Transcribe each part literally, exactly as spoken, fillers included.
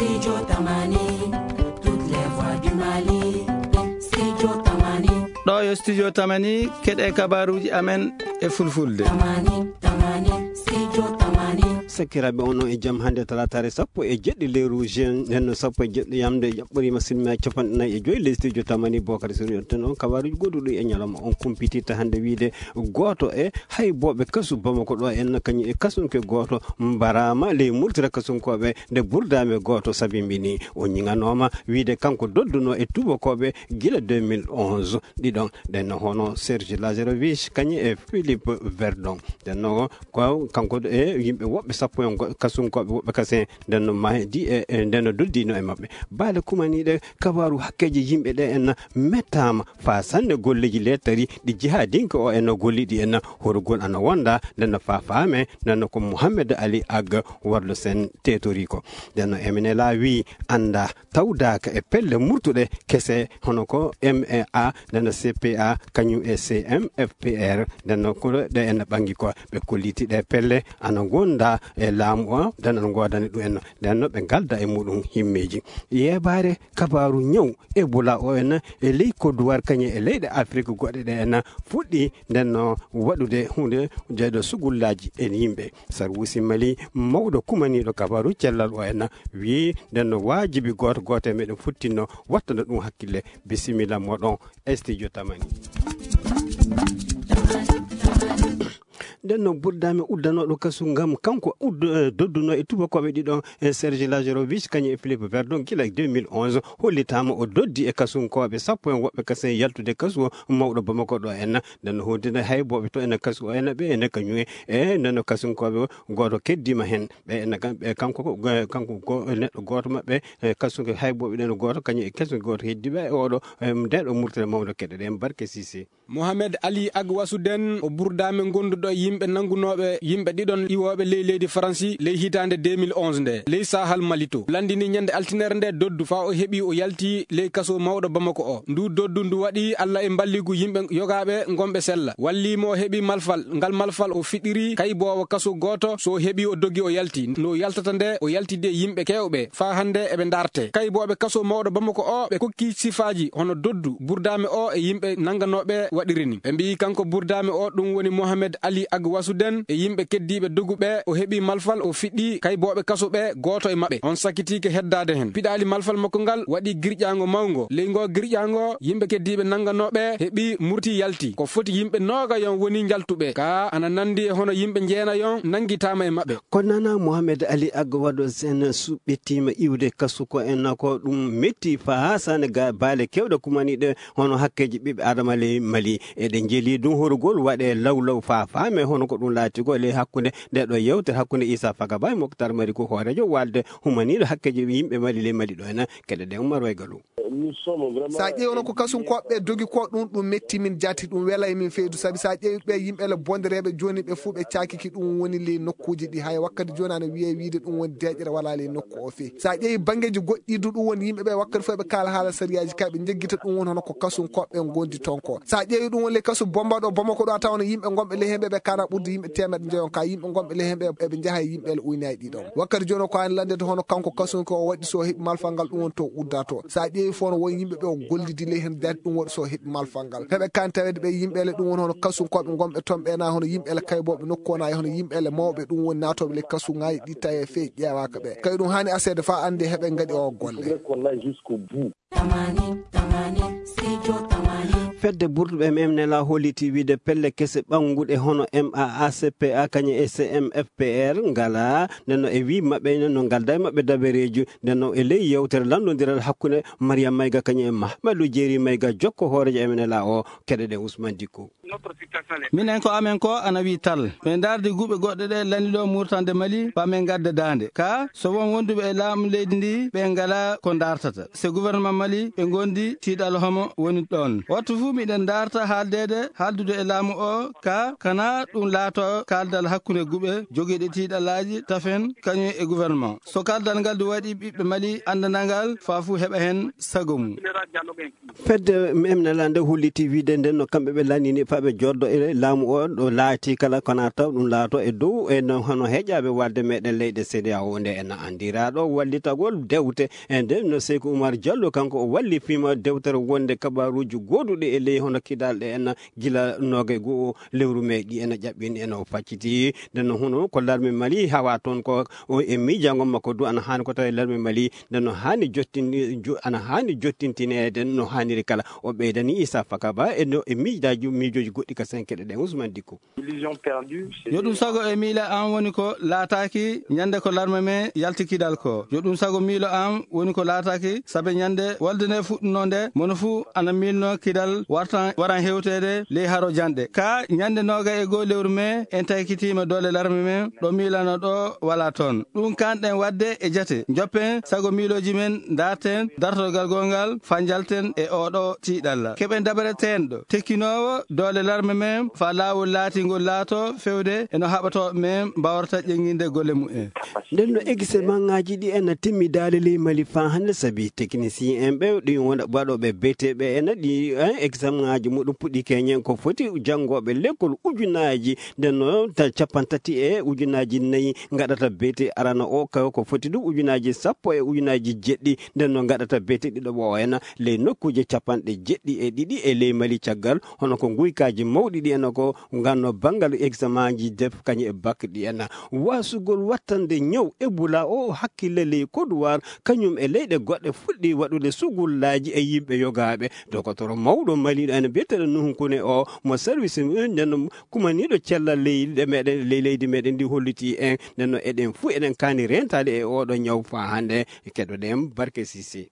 Studio Tamani, toutes les voix du Mali. Studio Tamani. Ɗo yo Studio Tamani, keɗe kabaruji amen e fulfulde. Tamani, Tamani, Studio Tamani. Sakiraaɓe, onon e jam. Hannde talaataare sappo e jeɗɗi lewru juin, nden no sappo e jeɗɗi yamde, jaɓɓoriima silmi capanɗe nayi e joyi ley Studio Tamani. Bokari Sori on ten on kabaruji goɗɗuɗi e ñalawma on kumpitirta hannde wiide gooto e haybooɓe kasu Bamako ɗo en kañum e kasunke gooto mbaraama ley murtira kasunkooɓe nde burdaame gooto sabimbini. O ñiŋanooma wiide kanko dodduno e tubakooɓe gila deux mille onze. Ɗiɗon ɗen no hono Serge Lazarevic kañum e Philippe Verdon. Nden no ko kanko e yimɓe woɓɓe sappo en go-, kasunkooɓe woɓɓe kasen nden no mahdi e, e nden no doddino e maɓɓe. Baale kumaniiɗe kabaaru hakkeeji yimɓe ɗe en mettaama faa sanne golleeji lettari ɗi jihaadinke o en no golliɗi en horugol ana wonda nden no faa faame nden no ko Mouhamed Ali Ag Wardo Sen tetori ko. Nden no M N L A wii annda tawdaaka e pelle murtuɗe kese hono ko M A, nden no C P A, kañum e C M F P R, nden no ko ɗe en ɓangi ko ɓe kolliti ɗe pelle ana gonda e laamu o, nden ana ngoodani ɗum en, nden no ɓe ngalda e muɗum himmeeji. Yeebaare kabaaru ñaw Ebola o en e ley Côte d'Ivoire kañum e leyɗe Afrique goɗɗe ɗe en fuɗɗi nden no waɗude hunde jeyɗo sugullaaji e yimɓe. Sarwusi Mali mawɗo kumaniiɗo kabaaru cellal o en wii nden no waajibi gooto gooto e meɗen futtinno wattana ɗum hakkille. Bisimilla moɗon e Studio Tamani. Nden no burdaami uddanooɗo kasu ngam kanko uddo-, eh, dodduno e tubakooɓe ɗiɗon, eh, Serge Lazarevic kañum e Philippe Verdon gila deux mille onze hollitaama o doddi e kasunkooɓe sappo en woɓɓe kasen yaltude kasu o mawɗo Bamako ɗo en. Nden no hoddina haybooɓe to en kasu o en ɓe en kañum e, eh, nden no kasunkooɓe gooto keddiima heen. Ɓe ene kam-, ɓe kanko ko, go-, kanko ko neɗɗo gooto maɓɓe, e kasu ko hay booɓe ɗen gooto, kañum e kasu gooto heddiiɓe e oɗo, e nde ɗo murtere mawɗo keɗe ɗen barke Sise. Mohamed Ali Agwasu Den, o burdaame gonduɗo e yimɓe nanngunooɓe yimɓe ɗiɗon iwooɓe ley leydi Faransi ley hitaande deux mille onze nde, ley Sahal Mali to. Lanndini ñande altinere nde doddu faa o heɓi o yalti ley kaso mawɗo Bamako o. Ndu doddu ndu waɗi Alla e mballigu yimɓe yogaaɓe ngonɓe sella. Wallii mo o heɓi malfal. Ngal malfal o fiɗɗiri kayboowo kaso gooto, so o heɓi o dogi o yalti. No yaltata nde, o yaltidi e yimɓe keewɓe. Faa hannde eɓe ndarte. Kaybooɓe kaso mawɗo Bamako o, ɓe kokki sifaaji hono doddu Burdaame o e yimɓe nannganooɓe waɗiri ni. Ɓe mbiyi kanko Burdaame o, ɗum woni Mohamed Ali Agwasu Den e yimɓe keddiiɓe dogu ɓe, o heɓi malfal, o fiɗɗi kaybooɓe kaso ɓe, gooto e maɓɓe. On sakitiike heddaade hen. Piɗaali malfal makko ngal waɗi girƴaango mawngo. Ley ngoo girƴaango, yimɓe keddiiɓe nannganooɓe heɓi murti yalti. Ko foti yimɓe noogayon woni njaltuɓe. Ka ana nanndi e hono yimɓe njeenayon nanngitaama e maɓɓe. Ko nana Mohamed Ali Agwadu Sen suɓɓitiima iwde kasu ko en ko ɗum metti faa haa sane ga baale kewɗe kumaniiɗe hono hakkeeji ɓiɓɓe Adama ley Mali. Eɗe njeli ɗum horugol waɗe law law faa faame hono ko ɗum laati ko ley hakkunde nde ɗo yewtere hakkunde Issa Fagaba e Moctar Mari ko hooreejo walde humaniiɗo hakkeeji yimɓe Mali ley Mali ɗo ena keɗe ɗe Umar Waygalu. Sa ƴeewi hono ko kasunkooɓe dogi ko ɗum, ɗum metti min jaati, ɗum wela e min feydu. Sabi sa ƴeewi ɓe yimɓe le bondereeɓe jooni ɓe fuu ɓe caakiki ɗum woni ley nokkuuji ɗi. Hay wakkati jooni ana wiyee wiide ɗum woni deeƴere wala ley nokku o fey. Sa ƴeewi banngeeji goɗɗi du ɗum woni yimɓe ɓe wakkati fof ɓe kaala haala sariyaaji kay ɓe njeggita ɗum woni hono ko kasunkooɓe ngondi toon ko. Sa ƴeewi ɗum woni ley kasu Bomba ɗo Bamako ɗo a tawa no yimɓe gonɓe ley hemɓe ɓe kana ɓurdi yimɓe teemeɗɗe njoyon ka yimɓe gonɓe ley hemɓe eɓe njaha e yimɓe le uynaaji ɗi ɗon. Wakkati jooni o ko an lanndete hono kanko kasunke o waɗi so heɓi malfal ngal ɗum woni to udda to. Sa ƴeewi fof no woni yimɓe ɓe o gollidi ley hemɓe jaati ɗum waɗi so heɓi malfal ngal. Heɓe kan tawede ɓe yimɓe le ɗum woni hono kasunkooɓe gonɓe toon ɓe na hono yimɓe le kaybooɓe nokku o na e hono yimɓe le mawɓe ɗum woni naatooɓe le kasuŋaaji ɗi tawi e fey ƴeewaaka ɓe. Kay ɗum haani aseede faa annde heɓe ngaɗi o golle. Tamani, Tamani, Studio Tamani. Fedde burduɓe M N L A holliti wiide pelle kese ɓannguɗe hono M A A C P A kañum e C M F P R ngala, nden no e wii maɓɓe, nden no ngalda e maɓɓe dabareeji, nden no e ley yewtere lanndondiral hakkunde Mariam Mayga kañum e Mahamadou Jeeri Mayga jokko hooreejo M N L A o, keɗe ɗe Ousmane Dicko. Minen ko amen ko ana wii tal. Ɓe ndardi guɓe goɗɗe ɗe laniɗo murtande Mali, faa men ngadda daande. Ka, so won wonduɓe e laamu leydi ndi, ɓe ngala ko ndartata. Se gouvernement Mali, ɓe ngondi tiiɗal homo woni ɗon. Wattu fuu miɗen ndarta haaldeede, haaldude e laamu o, ka, kana ɗum laato kaaldal hakkunde guɓe jogiiɗe tiiɗalaaji tafen kañum e gouvernement. So kaaldal ngal du waɗi ɓiɓɓe Mali anndanangal, faa fuu heɓa hen sago mum. Fedde M N L A nde holliti wiide nden no kamɓe ɓe lannini faa ɓe joddo e laamu o ɗo laati kala kona taw ɗum laato e dow e no hono heƴaaɓe walde meɗen leyɗe C D A O nde en anndiraaɗo wallitagol dewte e nden no Seyku Umar Jallo kanko o walli fima dewtere wonde kabaruuji goduɗi e ley hono kidalɗe en gila noogay goo lewru mai ɗi ena ƴaɓɓini ena o facciti. Nden no hono ko larme Mali hawa toon ko o e miijaango makko du ana haani ko tawi larme Mali nden no haani jottini jo- ana haani jottintineede no haaniri kala. O ɓeydani Issa Fakaba e no e miijaaji miijooji goɗɗi ka senkeɗe ɗen. Ousmane Dikko. Yo ɗum sago e miila an woni ko laataaki ñande ko larme men yalti kidal ko. Yo ɗum sago miilo an woni ko laataaki sabe ñande walde nde fuɗɗunoo nde mono fuu ana miilno kidal wartan waran hewteede ley haro janɗe. Ka ñande nooga e goo lewru men en taykitiima doole larme men ɗo miilano ɗo wala toon. Ɗum kanɗen wadde e jate. Njoppen sago miilooji men, darten dartorgal goo ngal, fanjalten e oo ɗoo tiiɗalla. Keɓen dabare teenɗo, tekkinoowo doole larme men, faa laawol laatingol laato fewde e no haɓatooɓe men mbaawrata ƴeŋŋinde golle mumen. Nden no examenaaji ɗi ena timmidaali ley Mali faa hannde, sabi teknisiyen en ɓe ɗi wona waɗooɓe beteɓe ena ɗi en examenaaji muɗum puɗɗi keñen ko foti janngooɓe lekkol ujunaaji nden no ta capanɗe tati e ujunaaji nayi ngaɗata beete arana o, ka ko foti ɗum ujunaaji sappo e ujunaaji jeɗɗi nden no ngaɗata beete ɗiɗo o ena ley nokkuuje capanɗe jeɗɗi e ɗiɗi e ley Mali caggal hono ko nguykaaji mawɗi ɗi ena ko nganno banngal examenaaji def kañum e bak ɗi ena waasugol wattande ñaw Ebola o hakkille ley Côte d'Ivoire kañum e leyɗe goɗɗe fuɗɗi waɗude sugullaaji e yimɓe yogaaɓe. Dokotoro mawɗo Mali ena biyeteeɗo Nuhu Kune o mo service nden kumaniiɗo cellal leyɗe meɗen ley leydi meɗen ndi holliti en nden no eɗen fuu eɗen kaani rentaade e oɗo ñaw faa hannde. Keɗoɗen Barke Sisi.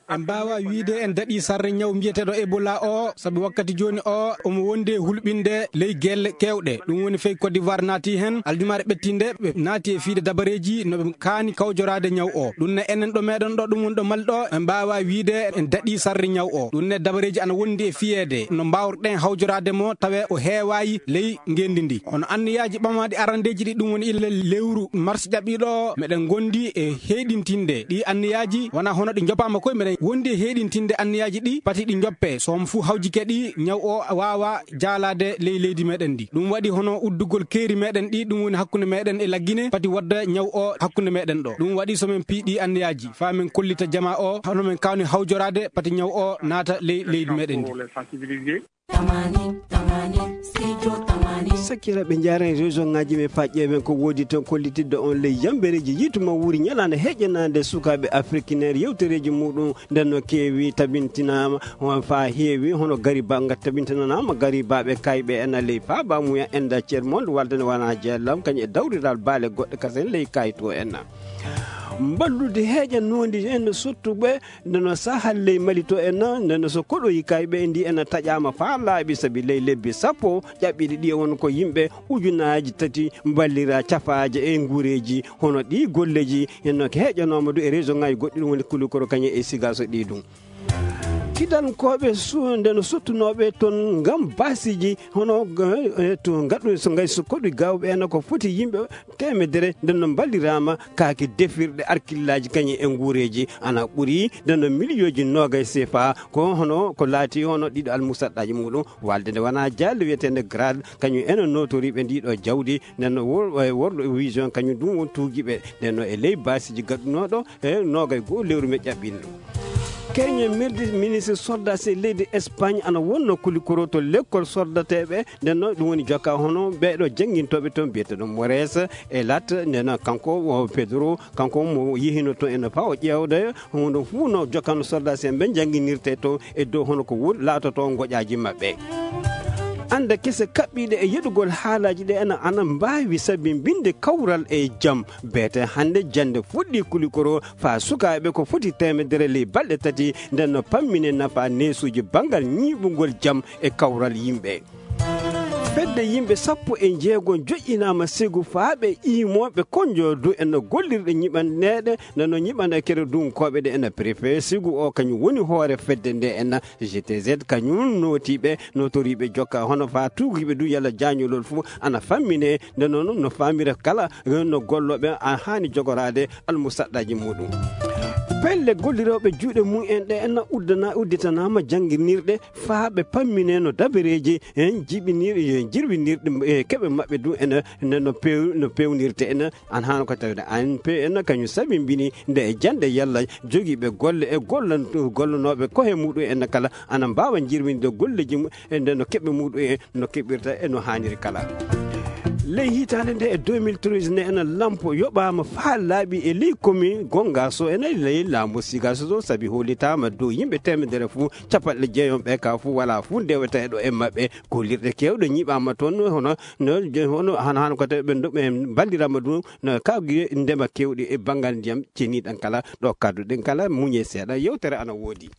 En mbaawa wiide en daɗii sarre ñaw mbiyeteeɗo Ebola o sabi wakkati jooni o omo wondi e hulɓinde ley gelle kewɗe. Ɗum woni fey Côte d'Ivoire naati heen aljumaare ɓettinde ɓe naati e fiide dabareeji no ɓe kaani kawjoraade ñaw o. Ɗum ne enen ɗo meɗen ɗo ɗum woni ɗo Mali ɗo en mbaawa wiide en daɗii sarre ñaw o. Ɗum ne dabareeji ana wondi e fiyeede no mbaawruɗen hawjoraade mo tawe o heewaayi ley ngenndi ndi. Hono anniyaaji ɓamaaɗi arandeeji ɗi ɗum woni illa lewru mars ƴaɓɓiiɗo o, meɗen ngondi e heyɗintinde ɗi anniyaaji wona hono ɗi njopaama koye meɗen wondi e heyɗintinde anniyaaji ɗi pati ɗi njoppe soom fuu hawjike ɗi ñaw o waawa jaalaade ley leydi meɗen ndi. Ɗum waɗi hono uddugol keeri meɗen ɗi ɗum woni hakkunde meɗen e laggine pati wadda ñaw o hakkunde meɗen ɗo. Ɗum waɗi so men piiɗi anniyaaji faa men kollita jamaa o hono men kawni hawjoraade pati ñaw o naata ley leydi meɗen ndi. Tamani, tamani, studio tamani. Sakkiraɓe jaren région ngaji men faƴƴe men ko wodi ton kollitidde on ley yambereji yituma wuri ñalande heƴƴanande sukaɓe afrikinaire yewtereji muɗum nden no keewi tabintinama on fa heewi hono gariba nga tabintinanama garibaɓe kayɓe en ley faaba muya enda cer monde walde ne wana jeellam kañum e dawriral baale goɗɗe kasen ley kayto en. Mballude heeƴa nondi en sottuɓe nde no sahal ley Mali to en nde no so koɗoyi kayɓe ndi en taƴama faa laaɓi sabi ley lebbi sappo ƴaɓɓiɗi ɗi won ko yimɓe ujunaji tati mballira cafaaje e nguureji hono ɗi golleji en no heeƴanoma du e réseau ngaji goɗɗi ɗum woni kulikoro kañum e sigaso ɗi ɗum. Kidankooɓe su nde no sottunooɓe toon ngam baasiiji hono to ngaɗɗu so ngay so koɗi gawɓe en ko foti yimɓe temedere nden no mballiraama kaake defirɗe arkillaaji kañum e nguureeji ana ɓuri nden no miliyooji noogay sefa ko hono ko laati hono ɗiɗo almusaɗɗaaji muɗum walde nde wona jaalle wiyeteende grade kañum ene notoriiɓe ndiɗo jawdi nden no worɗo vision kañum ɗum won tuugiiɓe nden no e ley baasiiji gaɗɗunooɗo e noogay goo lewru men ƴaɓɓinɗo. Keñe mirdi ministre sordas e leydi Espagne ana wonno kulikoro to lekkol sordateɓe nden noon ɗum woni jokka hono ɓeɗo jangguintoɓe toon mbiyata ɗum Mores e lat nden kanko o Pedro kanko mo yehino toon ene fawa ƴewde hunde fuu no jokkano sordas en ɓe jangguinirte toon e dow hono ko woni laatoto goƴaji mabɓe. Anda kese kaɓɓiɗe e yeɗugol haalaji ɗe ena ana mbawi sabi mbinde kawral e jam beete hande jande fuɗɗi kulikoro faa sukaaɓe ko foti temedere ley balɗe tati nden no pammine nafa neesuuji banngal ñiiɓungol jam e kawral yimɓe. Nde yimɓe sappo e jeego joƴƴinaama sigu faa ɓe iimooɓe konjo du en gollirɗe ñiɓanɗeeɗe, nde no ñiɓanɗe kere dunkooɓe ɗe en préfet sigu o kañum woni hoore fedde nde en G T Z kañum nootiiɓe, nootoriiɓe jokka hono faa tuugiiɓe du yalla jaañolol fof ana fammine, nde noon no faamira kala no gollooɓe a haani jogoraade almusaɗɗaaji muɗum. Pelle gollirooɓe juuɗe mum en ɗe en uddana, udditanaama jannginirɗe faa ɓe pammine no dabareeji en jiɓinir-, jirwinirɗi e keɓe maɓɓe du en no pew-, no pewnirte en an haano ko tawde A N P en kañum sabimbini nde e jannde yalla jogiiɓe golle e gollan-, gollanooɓe kohe muɗum en kala ana mbaawa jirwinde golleeji mum e nde no keɓe muɗum en no keɓirta e no haaniri kala. Ley hitaande nde e deux mille treize ne ena lampo yoɓaama faa laaɓi e ley komi gonga so ena ley laamu siga so sabi hollitaama dow yimɓe teemedere fof capanɗe jeegom ɓe ka fof wala fof ndewata e ɗo e maɓɓe. Gollirɗe keewɗe ñiɓaama toon hono no hono han han ko tawi ɓe ndo ɓe mballirama ɗum no kawgi ndema kewɗi e banngal ndiyam ceniɗan kala ɗo kadduɗen kala muñe seeɗa yewtere ana woodi.